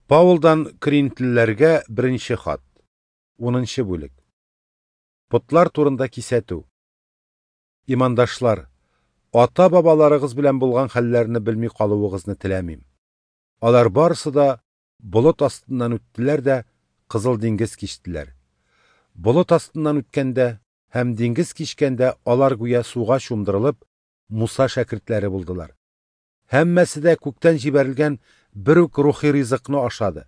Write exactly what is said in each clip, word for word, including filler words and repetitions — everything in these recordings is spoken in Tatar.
Паулдан Коринфлеләргә беренче хат, унынчы бүлек. Потлар турында кисәтү. Имандашлар, ата-бабаларыгыз белән булган хәлләрне белми калуыгызны теләмим. Алар барысы да болыт астыннан үттеләр дә Кызыл диңгез кичтеләр. Болыт астыннан үткәндә һәм диңгез кичкәндә алар гүя суга чумдырылып, Муса шәкертләре булдылар. Һәммәсе дә күктән җибәрелгән бер үк рухи ризыкны ашады.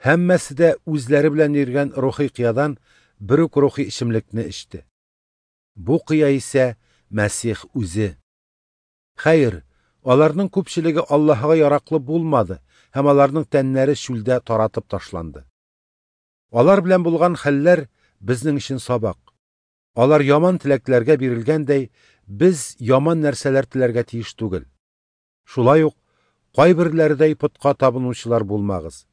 Һәммәсе дә үзләре белән йөргән рухи кыядан бер үк рухи эчемлекне эчте. Бу кыя исә Мәсих үзе. Хәер, аларның күпчелеге Аллаһыга яраклы булмады һәм аларның тәннәре чүлдә таратып ташланды. Алар белән булган хәлләр безнең өчен сабак. Алар яман теләкләргә бирелгәндәй, без яман нәрсәләр теләргә тиеш түгел. Шулай ук кайберләредәй потка табынучылар булмагыз.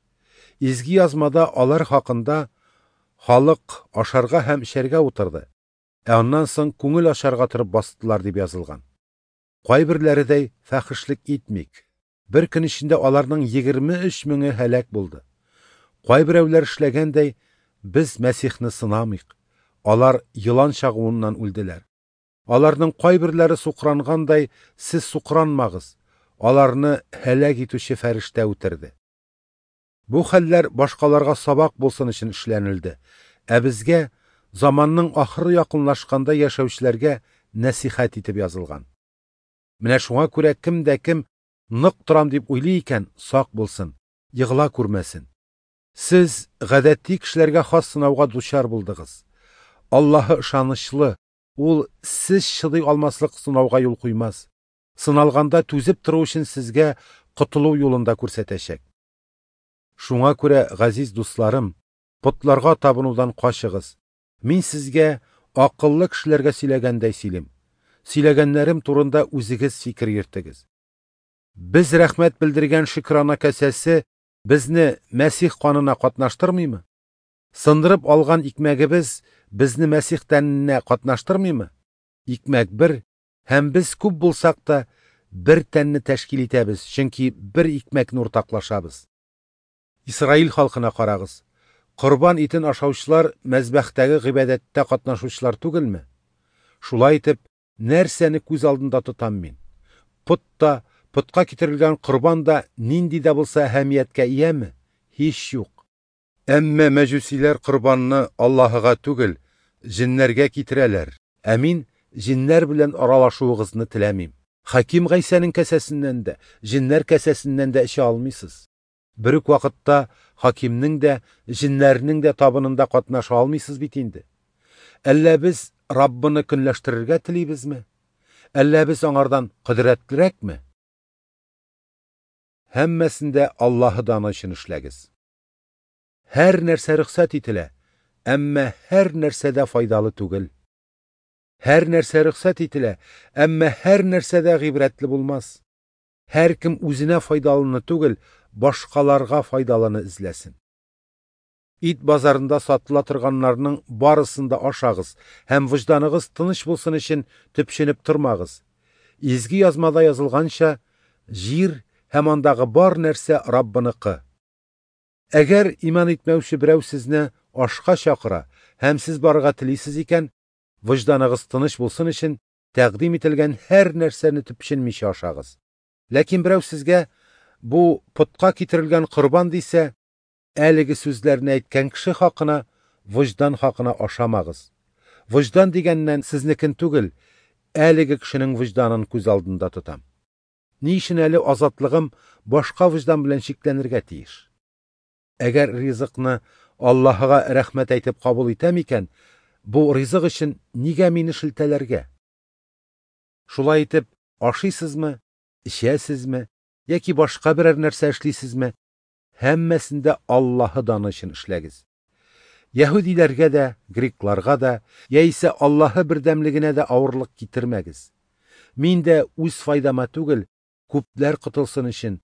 Изге язмада алар хакында халык ашарга һәм эчәргә утырды, ә аннан соң күңел ачарга торып бастылар дип язылган. Кайберләредәй фәхешлек итмик. Бер көн эчендә аларның егерме өч меңе һәлак булды. Кайберәүләр эшләгәндәй, без Мәсихне сынамыйк. Алар елан чагуыннан үлделәр. Аларның кайберләре сукрангандай, сез сукранмагыз. Аларны һәлак итүче фәрештә үтерде. Бу хәлләр башкаларга сабак булсын өчен эшләнелде, ә безгә заманның ахыры якынлашканда яшәүчеләргә нәсихәт итеп язылган. Менә шуңа күрә кем дә кем нык торам дип уйлый икән, сак булсын, егыла күрмәсен. Сез гадәти кешеләргә хас сынауга дучар булдыгыз. Аллаһы ышанычлы, ул сез чыдый алмаслык сынауга юл куймас. Сыналганда түзеп тору өчен сезгә котылу юлын да күрсәтәчәк. Шуңа күрә, газиз дусларым, потларга табынудан качыгыз. Мин сезгә акыллы кешеләргә сөйләгәндәй сөйлим. Сөйләгәннәрем турында үзегез фикер йөртегез. Без рәхмәт белдергән шөкрана касәсе безне Мәсих канына катнаштырмыймы? Сындырып алган икмәгебез безне Мәсих тәненә катнаштырмыймы? Икмәк бер, һәм без күп булсак та бер тәнне тәшкил итәбез, чөнки бер икмәкне уртаклашабыз. Исраил халкына карагыз. Корбан итен ашаучылар мәзбәхтәге гыйбадәттә катнашучылар түгелме? Шулай итеп, нәрсәне күз алдында тотам мин? Пот та, потка китерелгән корбан да нинди дә булса әһәмияткә ияме? Һич юк. Әмма мәҗүсиләр корбанны Аллаһыга түгел, җиннәргә китерәләр. Ә мин җиннәр белән аралашуыгызны теләмим. Хаким Гайсәнең кәсәсеннән дә, җиннәр кәсәсеннән дә эчә алмыйсыз. Бер үк вакытта хакимнең дә, җиннәрнең дә табынында катнаша алмыйсыз бит инде. Әллә без Раббыны көнләштерергә телибезме? Әллә без аңардан кодрәтлерәкме? Һәммәсен дә Аллаһы даны өчен эшләгез. Һәр нәрсә рөхсәт ителә, әмма һәр нәрсә дә файдалы түгел. Һәр нәрсә рөхсәт ителә, әмма һәр нәрсә дә гыйбрәтле булмас. Һәр кем үзенә файдалыны түгел, башкаларга файдалыны эзләсен. Ит базарында сатыла торганнарның барысын да ашагыз һәм вөҗданыгыз тыныч булсын өчен төпченеп тормагыз. Изге язмада язылганча, җир һәм андагы бар нәрсә Раббыныкы. Әгәр иман итмәүче берәү сезне ашка чакыра һәм сез барырга телисез икән, вөҗданыгыз тыныч булсын өчен тәкъдим ителгән һәр нәрсәне төпченмичә ашагыз. Ләкин берәү сезгә бу потка китерелгән корбан дисә, әлеге сүзләрне әйткән кеше хакына, вөҗдан хакына ашамагыз. Вөҗдан дигәннән сезнекен түгел, әлеге кешенең вөҗданын күз алдында тотам. Ни өчен әле азатлыгым башка вөҗдан белән чикләнергә тиеш? Әгәр ризыкны Аллаһыга рәхмәт әйтеп кабул итәм икән, бу ризык өчен нигә мине шелтәләргә? Шулай итеп, ашыйсызмы, эчәсезме, яки башка берәр нәрсә эшлисезме, һәммәсен дә Аллаһы даны өчен эшләгез. Яһүдиләргә дә, грекларга да, яисә Аллаһы бердәмлегенә дә авырлык китермәгез. Мин дә үз файдама түгел, күпләр котылсын өчен,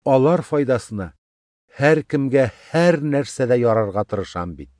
алар файдасына һәр кемгә һәр нәрсәдә ярарга тырышам бит.